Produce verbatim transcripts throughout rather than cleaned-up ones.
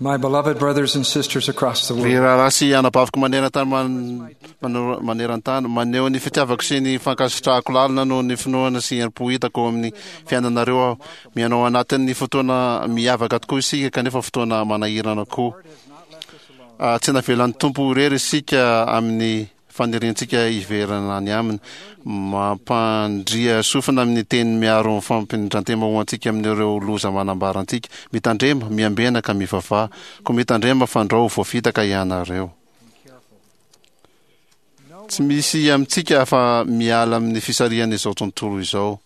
My beloved brothers and sisters across the Ry world, rahalahy sy anabaviko maneran-tany man- mano- maneran-tany, maneho ny fitiavako sy ny fankasitrahako lalina noho ny finoana sy herim-po hitako ao amin'ny fiainanareo aho. Miaina ao anatin'ny fotoana miavaka tokoa isika, kanefa fotoana manahirana koa. Ah, Tsy navelan'ny Tompo irery isika amin'ny faniriantsika hiverina any aminy. Mampandria sofina amin'ny teny miaro ny fampindran-tena ho antsika amin'ireo loza manambara antsika. Mitandrema, miambena ka mivavaha. Koa mitandrema fandrao voafitaka ianareo. Tsy misy amintsika afa miala amin'ny fisarihan'izao tontolo izao.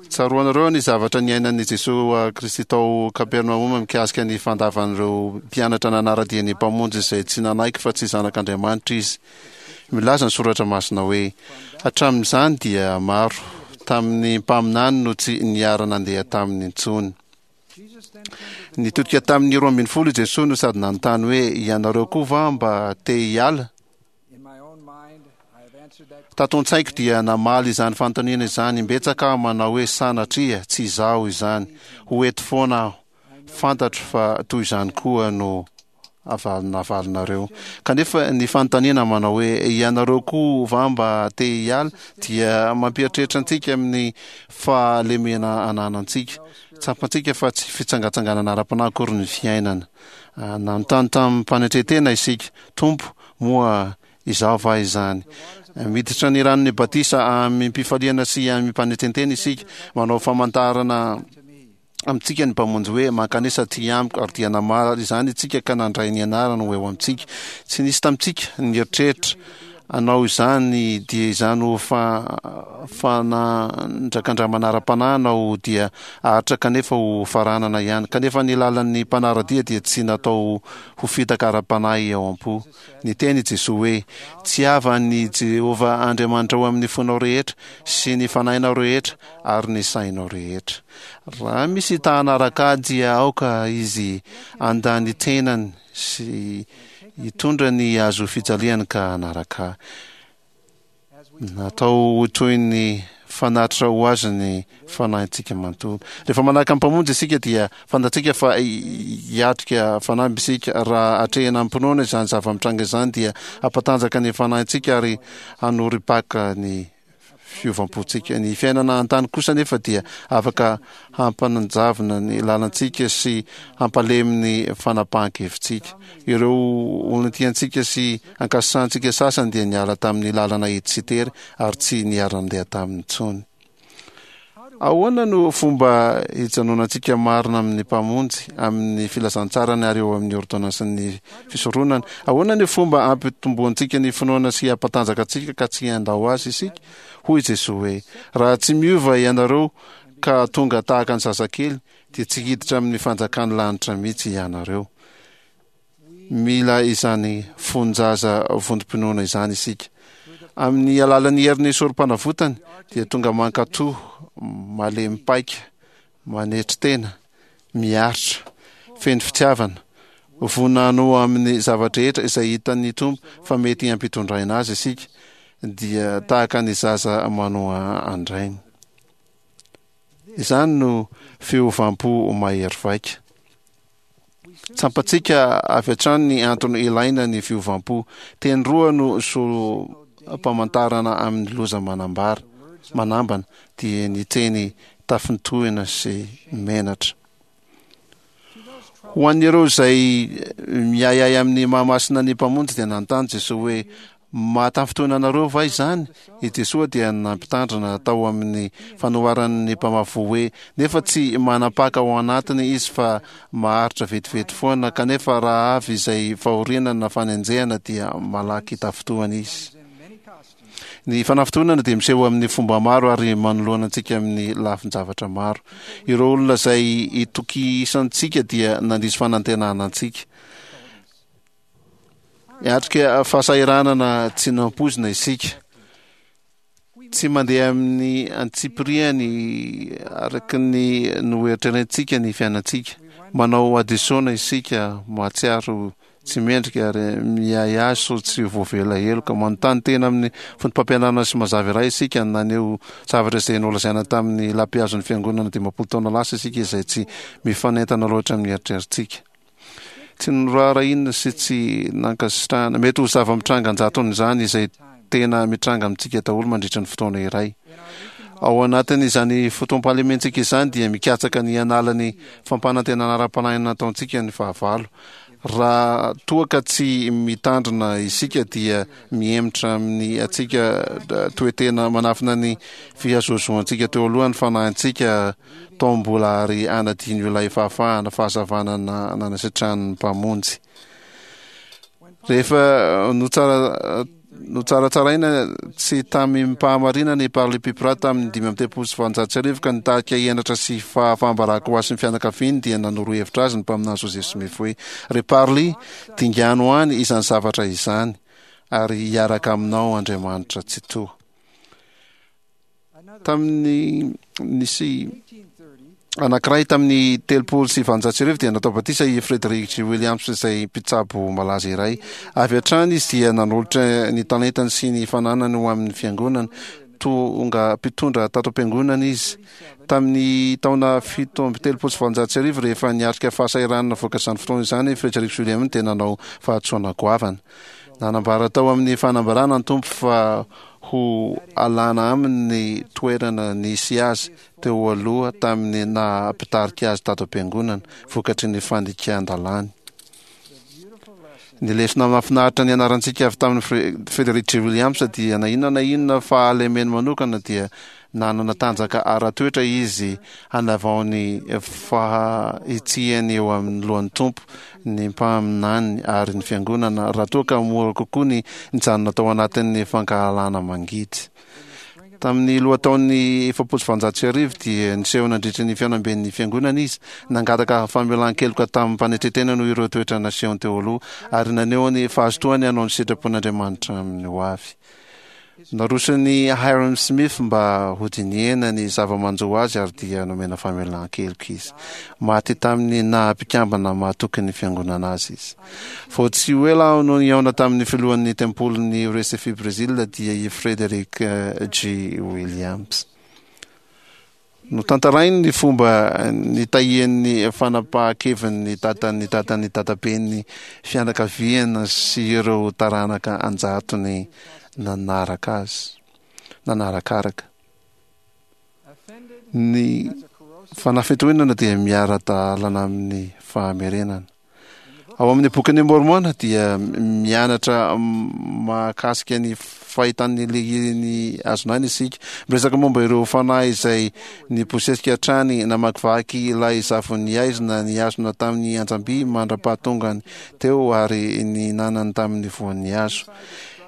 Tsaroanareo ny zavatra niainan'i Jesoa Kristy tao Kapernaoma mikasika ny fandavan'ireo mpianatra nanara-dia ny Mpamonjy izay tsy nanaiky fa tsy zanak'Andriamanitra izy. Milaza ny soratra masina hoe hatramin'izany dia maro tamin'ny mpaminany no tsy niara-nandeha taminy intsony. Nitodika tamin'ny roa ambin'ny folo i Jesoa no sady nanontany hoe ianareo koa va mba te hiala? in my own mind, I have answered that Tato an-tsaiko dia namaly izany fanontaniana izany imbetsaka aho manao hoe sanatria tsy izaho izany, ho eto foana aho. Fantatro fa toy izany koa no avalonavalinareo. Kanefa ny fanontaniana manao hoe ianareo koa va mba te hiala dia mampieritreritra antsika amin'ny fahalemena ananantsika. Tsapantsika fa tsy fitsangatsanganana ara-panahy akory ny fiainana. Ah, Nanontany tamim-panetren-tena isika, Tompo, moa izaho va izany? Miditra ny ranon'ny batisa amim-pifaliana sy amim-panetren-tena isika, manao famantarana amintsika ny Mpamonjy hoe mankanesa aty amiko, ary dia namaly izany isika ka nandray ny anarany ho eo amintsika. Tsy nisy tamintsika nieritreritra hanao izany dia izany ho fa fanandrakandramana ara-panahy na dia haharitra kanefa ho faranana ihany. Kanefa ny lalan'ny mpanara-dia dia tsy natao ho fitaka ara-panahy ao am-po. Niteny i Jesoa hoe tiava an'i Jehovah Andriamanitrao amin'ny fonao rehetra sy ny fanahinao rehetra ary ny sainao rehetra. Raha misy ta hanaraka ahy dia aoka izy handà ny tenany sy hitondra ny hazo fijaliany ka hanaraka ahy. Natao ho toy ny fanatitra ho azy ny fanahintsika manontolo. Rehefa manaraka ny Mpamonjy isika dia fantatsika fa hiatrika fanamby isika. Raha atrehina amim-pinoana izany zava-mitranga izany dia hampatanjaka ny fanahintsika ary hanorim-paka ny fiovam-pontsika. Ny fiainana an-tany kosa nefa dia afaka hampanjavona ny lalantsika sy hampalemy ny fanapahan-kevitsika. Ireo olona tiantsika sy ankasitrahantsika sasany dia niala tamin'ny lalana ety sy tery ary tsy niara-nandeha taminy intsony. Ahoana no fomba hijanonantsika marina amin'ny Mpamonjy, amin'ny filazantsarany ary eo amin'ny ôrdônansin'ny fisoronana? Ahoana ny fomba hampitomboantsika ny finoana sy hampatanjaka antsika ka tsy handao azy isika? Hoy i Jesoa hoe, raha tsy miova ianareo ka tonga tahaka ny zazakely, dia tsy hiditra amin'ny fanjakan'ny lanitra mihitsy ianareo. Mila izany fon-jaza vontom-pinoana izany isika. Amin'ny alalan'ny herin'ny sorom-panavotany dia tonga mankatò, malemy paika, manetry tena, miaritra, feno fitiavana, vonona hanoa amin'ny zava-drehetra izay hitan'ny Tompo fa mety hampitondraina azy isika, dia tahaka ny zaza manoa an-drainy. Izany no fiovam-po mahery vaika. Tsapantsika avy hatrany ny antony ilaina ny fiovam-po. Teny roa no solom-pamantarana amin'ny loza manambara, manambana, dia ny teny tafintohina sy menatra. Ho an'ireo izay miahiahy amin'ny maha-masina ny Mpamonjy dia nanontany Jesoa hoe, Mahatafintohina anareo va izany? I Jesoa dia nampitandrina tao amin'ny fanoharan'ny mpamafy voa hoe, Nefa tsy manam-paka ao anatiny izy fa maharitra vetivety foana, kanefa raha avy izay fahoriana na fanenjehana dia malaky tafintohina izy. Ny fanafintohinana dia miseho amin'ny fomba maro ary manoloana antsika amin'ny lafin-javatra maro. Ireo olona izay itokisantsika dia nandiso fanantenana antsika. Hiatrika fahasahiranana tsy nampoizina isika. Tsy mandeha amin'ny antsipiriany araka ny noeritreretintsika ny fiainantsika. Manao hadisoana isika, mahatsiaro tsy mendrika ary miahiahy sao tsy voavela heloka. Manontany tena amin'ny foto-pampianarana sy mazava iray isika. Naneho zavatra izay nolazaina tamin'ny lampihazon'ny fiangonana dimampolo taona lasa isika izay tsy mifanentana loatra amin'ny eritreritsika. Tsy noraharahiana sy tsy nankasitrahana. Mety ho zava-mitranga an-jatony izany izay tena mitranga amintsika daholo mandritra ny fotoana iray. Ao anatin'izany fotoam-pahalementsika izany dia mikatsaka ny hanala ny fampanantenana ara-panahy nataontsika ny fahavalo. Raha toa ka tsy mitandrina isika dia mihemotra amin'ny antsika toe-tena manafina ny fihazohazoantsika teo aloha ny fanahintsika tao mbola ary hanadino ilay fahafahana fahazavana nanasitrahan'ny Mpamonjy. Rehefa notsara Notsaratsaraina tsy tamim-pahamarinana i Parley P. Pratt tamin'ny dimy amby telopolo sy valonjato sy arivo ka nitarika henatra sy fahafaham-baraka ho azy sy ny fianakaviany dia nanoro hevitra azy ny mpaminany Joseph Smith hoe, Ry Parley, dingano any izany zavatra izany, ary hiaraka aminao Andriamanitra Tsitoha. Tamin'ny nisy anankiray tamin'ny telopolo sy valonjato sy arivo dia natao batisa i Frederick G. Williams izay mpitsabo malaza iray. Avy hatrany izy dia nanolotra ny talentany sy ny fananany ho amin'ny fiangonana. Tonga mpitondra tato am-piangonana izy. Tamin'ny taona fito amby telopolo sy valonjato sy arivo, rehefa niatrika fahasahiranana vokatr'izany fotoana izany i Frederick Williams dia nanao fahadisoana goavana. Nanambara tao amin'ny fanambarana ny Tompo fa ho alana aminy ny toerana nisy azy teo aloha tamin'ny naha mpitarika azy tato am-piangonana, vokatry ny fandikan-dalàny. Ny lesona mahafinaritra nianarantsika avy tamin'i Frederick G. Williams dia na inona na inona fahalemeny manokana dia nanana tanjaka ara-toetra izy hanavao ny fahitsiany eo amin'ny lohan'ny Tompo, ny mpaminany ary ny fiangonana raha toa ka mora kokoa ny nijanona tao anatin'ny fankahalana mangidy. Tamin'ny lohataon'ny efapolo sy valonjato sy arivo dia niseho nandritry ny fihaonamben'ny fiangonana izy, nangataka famelan-keloka tamim-panetren-tena noho ireo toetra nasehony teo aloha ary naneho ny fahazotoany hanao ny sitrapon'Andriamanitra amin'ny hoavy. Naroson'i Hyrum Smith mba hodinihina ny zava-manjo azy ary dia nomena famelan-keloka izy. Maty tamin'ny naha mpikambana mahatoky ny Fiangonana azy izy. Vao tsy ho ela aho no nihaona tamin'ny filohan'ny tempolin'i Recife Brésil dia i Frederick G. Williams. Notantarainy ny fomba nitahian'ny fanapahan-keviny ny dadan'ny dadan'ny dadaben'ny fianakaviana sy ireo taranaka an-jatony nanaraka azy, nanarakaraka. Ny fanafitohinana dia miara-dalana amin'ny fahamerenana. Ao amin'ny Bokin'i Môrmôna dia mianatra mahakasika ny fahitan'ny lehirin'ny hazon'aina isika. Miresaka momba ireo fanahy izay nibosesika hatrany namakivaky ilay zavon'ny haizina nihazona tamin'ny anjam-by mandra-pahatongany teo ary nihinanany tamin'ny voan'ny hazo.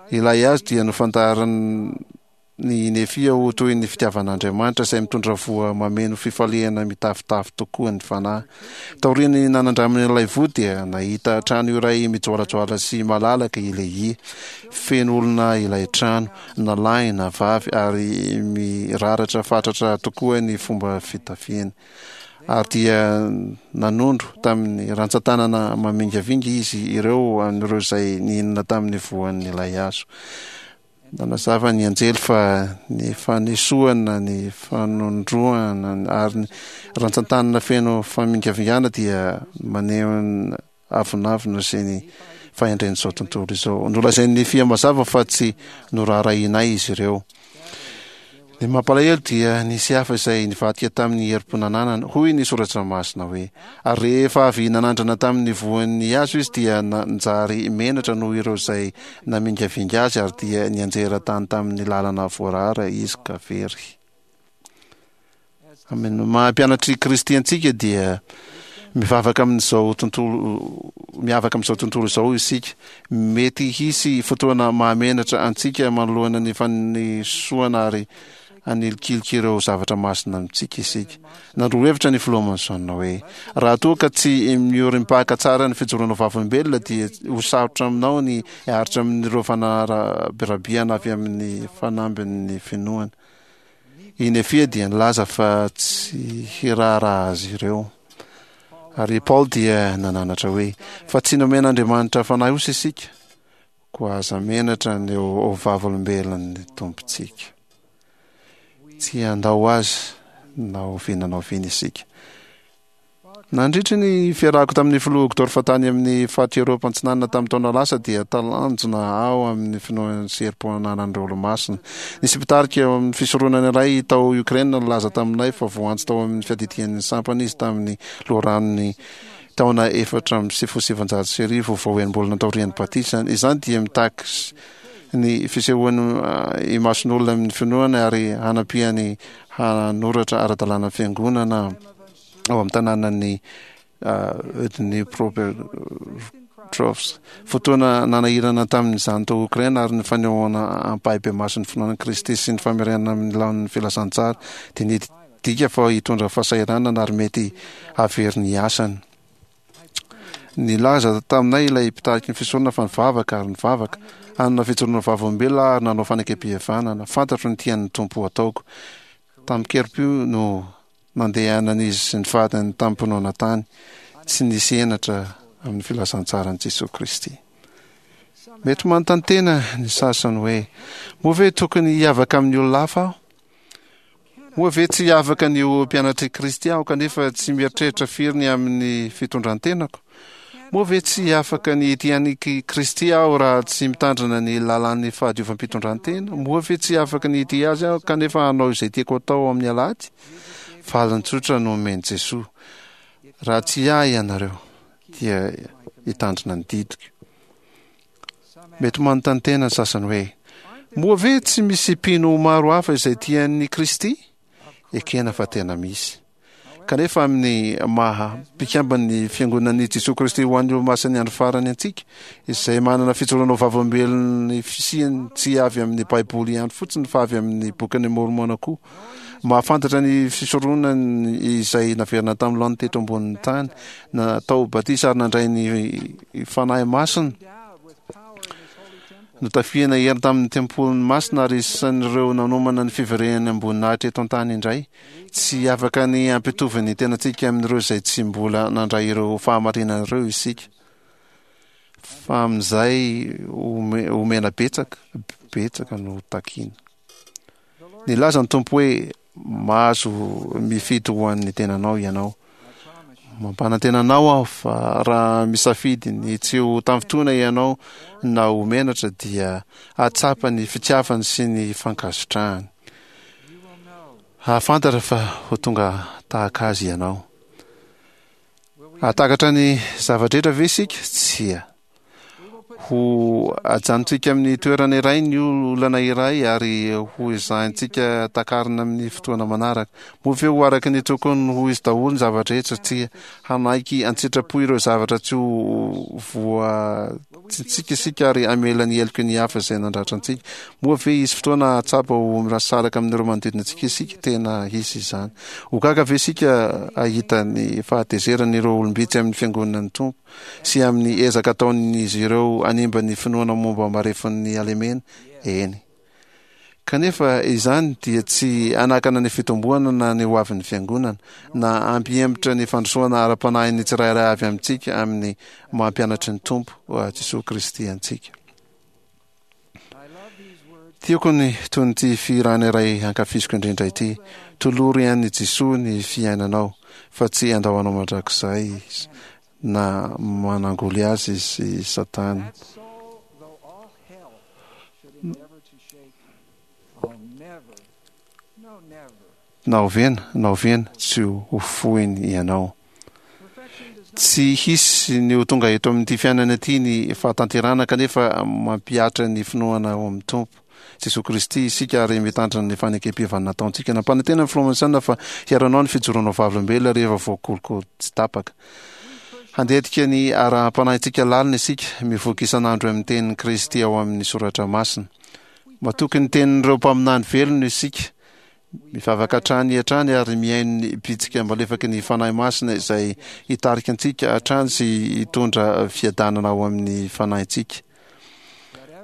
Ilay hazo dia nofantarin'ny Ny Nefia ho toy ny fitiavan'Andriamanitra izay mitondra voa mameno fifaliana mitafotafo tokoa ny fanahy. Taorian'ny nanandramany ilay voa dia nahita trano iray mijoalajoala sy malalaka i Lehia. Feno olona ilay trano, na lahy na vavy, ary miraratra fatratra tokoa ny fomba fitafiany. Ary dia nanondro tamin'ny rantsan-tanana mamingavinga izy ireo an'ireo izay nihinana tamin'ny voan'ilay hazo. Nanazava ny anjely fa ny fanesoana, ny fanondroana ary ny rantsantanana feno famingavingana dia maneho ny avonavona sy ny fahendren'izao tontolo izao. Nolazain'i Nefia mazava fa tsy noraharahianay izy ireo. Ny mampalahelo dia nisy hafa izay nivadika tamin'ny herim-po nananany. Hoy ny Soratra Masina hoe, Ary rehefa avy nanandrana tamin'ny voan'ny hazo izy dia nanjary menatra noho ireo izay namingavinga azy ary dia nianjera tany tamin'ny lalana voarara izy ka very. Amin'ny maha mpianatr'i Kristy antsika dia mivavaka amin'izao tontolo miavaka amin'izao tontolo izao isika. Mety hisy fotoana mahamenatra antsika manoloana ny fanesoana ary hanilikilika ireo zavatra masina amintsika isika. Nandroa hevitra ny filoha Monson hoe, Raha toa ka tsy miorim-paka tsara ny fijoroana vavolombelona dia ho sarotra aminao ny hiaritra amin'ireo fanarabirabiana avy amin'ny fanambin'ny finoana. I Nefia dia nilaza fa tsy hiraharaha azy ireo. Ary i Paoly dia nananatra hoe, Fa tsy nomen'Andriamanitra fanahy osa isika, koa aza menatra ny ho vavolombelon'ny Tompontsika. Tsy handao azy na oviana na oviana isika. Nandritry ny fiarahako tamin'ny filoha Uchtdorf tany amin'ny faritra Eoropa Antsinanana tamin'ny taona lasa dia talanjona aho amin'ny finoana sy herim-po ananan'ireo olomasina. Nisy mpitarika eo amin'ny fisoronana iray tao Ukraine nilaza taminay fa voantso tao amin'ny fiadidian'ny sampana izy tamin'ny loharanon'ny taona efatra amby sivifolo sy sivinjato sy arivo vao enim-bolana taorian'ny batisany. Izany dia mitaky ny fisehoany imason'olona amin'ny finoana ary hanampiany hanoratra ara-dalàna fiangonana ao amin'ny tanànan'i Dnipropetrovsk. Fotoana nanahirana tamin'izany tao Okraina ary ny fanehoana ampahibemaso ny finoana an'i Kristy sy ny famerenana amin'ny laoniny filazantsara dia nidika fa hitondra fahasahiranana ary mety hahavery ny asany. Nilaza taminay ilay mpitariky ny fisoronana fa nivavaka ary nivavaka, hanana fijoroana vavolombelona aho ary nanao fanekem-pihavanana. Fantatro ny tian'ny Tompo hataoko. Tamin-kerim-po no nandehanan'izy sy ny vadiny tamim-pinoana tany, tsy nisy henatra amin'ny filazantsaran'i Jesoa Kristy. Mety manontany tena ny sasany hoe, Moa ve tokony hiavaka amin'ny olona hafa aho? Moa ve tsy afaka ny ho mpianatr'i Kristy aho kanefa tsy mieritreritra firy ny amin'ny fitondran-tenako? Moa ve tsy afaka ny hitia an'i Kristy aho raha tsy mitandrina ny lalàn'ny fahadiovam-pitondrantena? Moa ve tsy afaka ny hitia Azy aho kanefa hanao izay tiako atao amin'ny alahady? Valiny tsotra no omen'i Jesoa, Raha tsy Ahy ianareo, dia hitandrina ny didiko. Mety manontany tena ny sasany hoe, Moa ve tsy misy mpino maro hafa izay tia an'i Kristy? Ekena fa tena misy. Kanefa amin'ny maha mpikamban'ny Fiangonan'i Jesoa Kristy ho an'ny Olomasin'ny Andro Farany antsika, izay manana fijoroana ho vavolombelon'ny fisiany tsy avy amin'ny Baiboly ihany fotsiny fa avy amin'ny Bokin'i Môrmôna koa, mahafantatra ny fisoronany izay naverina tamin'ny laoniny teto ambonin'ny tany, natao batisa ary nandray ny Fanahy Masina, Notafihana hery tamin'ny tempoliny masina ary isan'ireo nanomana ny fiverenany am-boninahitra eto an-tany indray. Tsy afaka ny hampitovy ny tenantsika amin'ireo izay tsy mbola nandray ireo fahamarinana ireo isika, fa amin'izay omena betsaka, betsaka no takiana. Nilaza ny Tompo hoe, Mahazo mifidy ho an'ny tenanao ianao. Mampanantena anao aho fa raha misafidy ny tsy ho tafintohina ianao na ho menatra dia hahatsapa ny fitiavany sy ny fankasitrahany. Hahafantatra fa ho tonga tahaka azy ianao. Hahatakatra ny zava-drehetra ve isika? Tsia. Ho ajanontsika amin'ny toerana iray ny olana iray ary ho ezahintsika takarina amin'ny fotoana manaraka. Moa ve ho araka ny tokony ho izy daholo ny zava-drehetra? Tsia. Hanaiky an-tsitrapo ireo zavatra tsy ho voatsintsika isika ary hamela ny heloky ny hafa izay nandratra antsika. Moa ve hisy fotoana hahatsapa ho mirasaraka amin'ireo manodidina antsika isika? Tena hisy izany. Ho gaga ve isika hahita ny fahatezeran'ireo olom-bitsy amin'ny fiangonan'ny Tompo? sy amin'ny ezaka ataon'izy ireo hanimba ny finoana momba marefon'ny halemena? Eny. Kanefa izany dia tsy hanakana ny fitomboana na ny hoavin'ny Fiangonana, na hampihemotra ny fandrosoana ara-panahin'ny tsirairay avy amintsika amin'ny maha mpianatry ny Tompo Jesoa Kristy antsika. Tiako ny tonon'ity fihirana iray ankafiziko indrindra ity, Tolory an'i Jesoa ny fiainanao, fa tsy handao anao mandrakizay Izy, na manangoly azy i Satana. Na oviana na oviana tsy ho foiny ianao. Tsy hisy ny ho tonga eto amin'ity fiainana ity ny fahatanterahana kanefa mampihatra ny finoana ao amin'ny Tompo Jesoa Kristy isika ary mitandrina ny fanekem-pihavanana nataontsika. Nampanantena ny Filoha Monson fa hiaro anao ny fijoroanao vavolombelona rehefa voakolikoly tsy tapaka. Handetika ny ara-panahintsika lalina isika, mivoky isan'andro amin'ny tenin'i Kristy ao amin'ny Soratra Masina. Matoky ny tenin'ireo mpaminany velona isika, mivavaka hatrany hatrany ary mihaino ny bitsika malefaky ny Fanahy Masina izay hitarika antsika hatrany sy hitondra fiadanana ao amin'ny fanahintsika.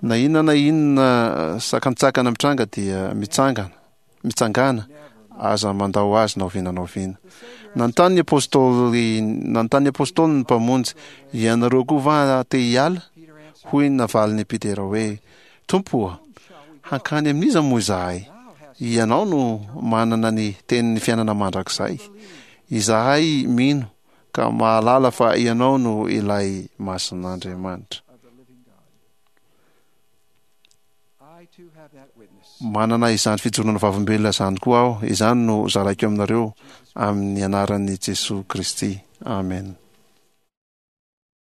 Na inona na inona sakantsakana mitranga dia mitsangana, mitsangàna, aza mandao azy na oviana na oviana. Nanontany ny apostoly, nanontany ny apostoly ny Mpamonjy, Ianareo koa va te hiala? Hoy ny navalin'i Petera hoe, Tompo ô, hankany amin'iza moa izahay? Ianao no manana ny tenin'ny fiainana mandrakizay. Izahay mino ka mahalala fa Ianao no ilay Masin'Andriamanitra. of the living God. I too have that witness. Manana izany fijoroana vavolombelona izany koa aho. Izany no zaraiko aminareo amin'ny anaran'i Jesosy Kristy. Amen.